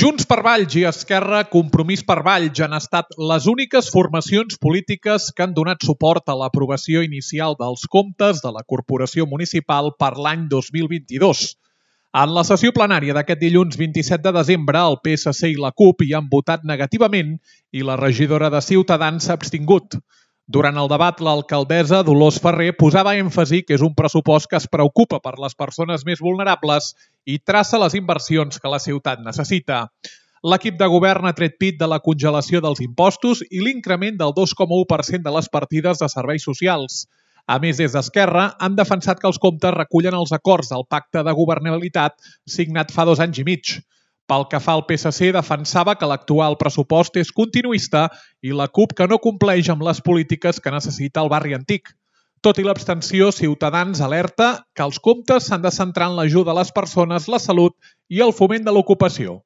Junts per Valls i Esquerra Compromís per Valls han estat les úniques formacions polítiques que han donat suport a l'aprovació inicial dels comptes de la Corporació Municipal per l'any 2022. En la sessió plenària d'aquest dilluns 27 de desembre, el PSC i la CUP hi han votat negativament i la regidora de Ciutadans s'ha abstingut. Durant el debat, l'alcaldessa Dolors Ferrer posava èmfasi que és un pressupost que es preocupa per les persones més vulnerables i traça les inversions que la ciutat necessita. L'equip de govern ha tret pit de la congelació dels impostos i l'increment del 2,1% de les partides de serveis socials. A més, des d'Esquerra han defensat que els comptes recullen els acords del Pacte de Governabilitat signat fa 2 anys i mig. Pel que fa al PSC, defensava que l'actual pressupost és continuista i la CUP que no compleix amb les polítiques que necessita el barri antic. Tot i l'abstenció, Ciutadans alerta que els comptes s'han de centrar en l'ajuda a les persones, la salut i el foment de l'ocupació.